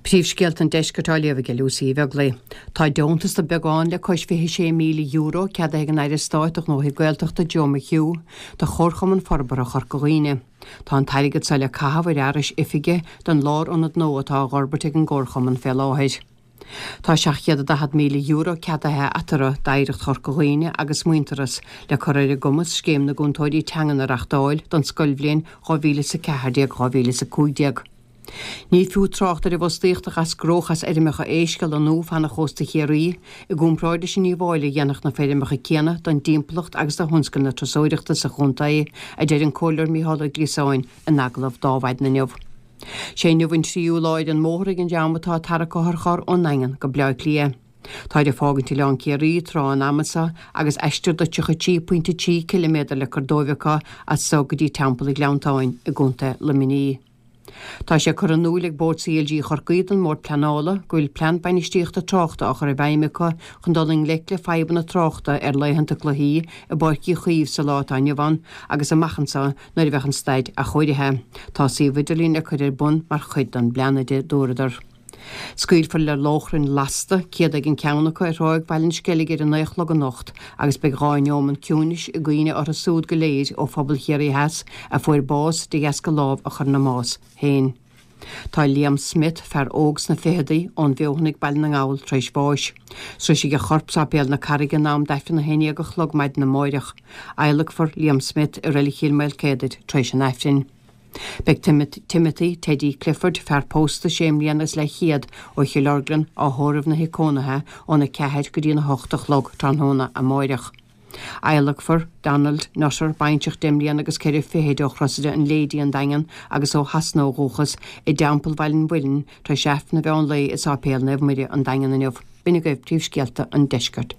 Príomhscéalta an Deiscirt á léamh aige Lucy Uí Bheaglaoi. Tá deontas de beagán le cois €26,000 ceadaithe ag an Aire Stáit do Ghnóthaí Gaeltachta Joe McHugh do Chomharchumann Forbartha Chorca Dhuibhne. Tá an t-airgead seo le caitheamh ar fhearais oifige don lárionad nua atá á dh'fhorbairt ag an gComharchumann fé láthair. Tá €740,000 ceadaithe eatarthu d'Oidhreacht Chorca Dhuibhne agus Muintearas le cur ar a gcumas Scéim na gCúntóirí Teangan a reachtáil don scoilbhliain 2014, 2015. Ní fiú trácht ar an bhfostaíocht a dh'eascródh as fheirmeacha éisc a lonnú fan chósta Chiarraí i gcomparáid leis an ndíobháil a dhéanfadh na feirmeacha céanna don dtimpeallacht agus do thionscal na turasóireachta sa chontae, a deir an Comhairleoir Mícheál Ó Gliasáin in agallamh d'Adhmhaidin inniu. Sé inniu an tríú lá ar an mbóthar ag an dream atá ag tarrac otharcharr ón nDaingean go Bleá Cliath. Táid ag fágaint Oileán Ciarraí tráth an ama seo agus aistear de 33.3 ciliméadar le cur dóibh acu as so go dtí Teampall an Ghleanntáin i gContae Luimnigh. Tá sé curtha in iúil ag Bord CLG Chorcaí don mBord Pleanála go bhfuil plean bainistíochta tráchta á chur i bhfeidhm acu chun dul i ngleic le fadhbanna tráchta ar laethanta cluichí i bPáirc Uí Chaoimh sa lá atá inniu ann agus amach anseo nuair a bheadh an staid athchóirithe. Tá suíomh idirlín le cur ar bun mar chuid den bplean, a dúradar. Scaoilfear le lóchrainn lasta, 100 ag an ceann acu, ar Thráigh Bhaile an Sceilg ar a 9 a chlog anocht agus beidh 2 neomat ciúinis i gcuimhne orthu súd go léir ó phobal Chiarraí Theas a fuair bás de dheasca lámh a chur ina mbás féin. Tá Liam Smith, fear óg sna ficheadaí, ón bhFeothanaigh, Baile na nGall, tar éis bháis. Sroisfidh a chorp Sáipéal na Carraige in am d'Aifreann a 11 a chlog maidin amáireach. Adhlacfar Liam Smith i Reilig Chill Maoilcéadair tar éis an Aifrinn. Beidh Timothy Teddy Clifford, fear pósta sé mbliana is leathchéad ó Chill Orglan, á thórramh 'na thigh cónaithe óna 4 go dtí an 8 a chlog tráthnóna amáireach. Adhlacfar Donald Nutter, baintreach deich mbliana agus ceithre fichid ó Chrosaire an Lady, an Daingean, agus ó Shasana ó dhúchas, i dTeampall Bhaile an Mhuilinn tar éis Aifreann an mheán lae i Sáipéal Naomh Muire, an Daingean inniu. B'in agaibh príomhscéalta an deiscirt.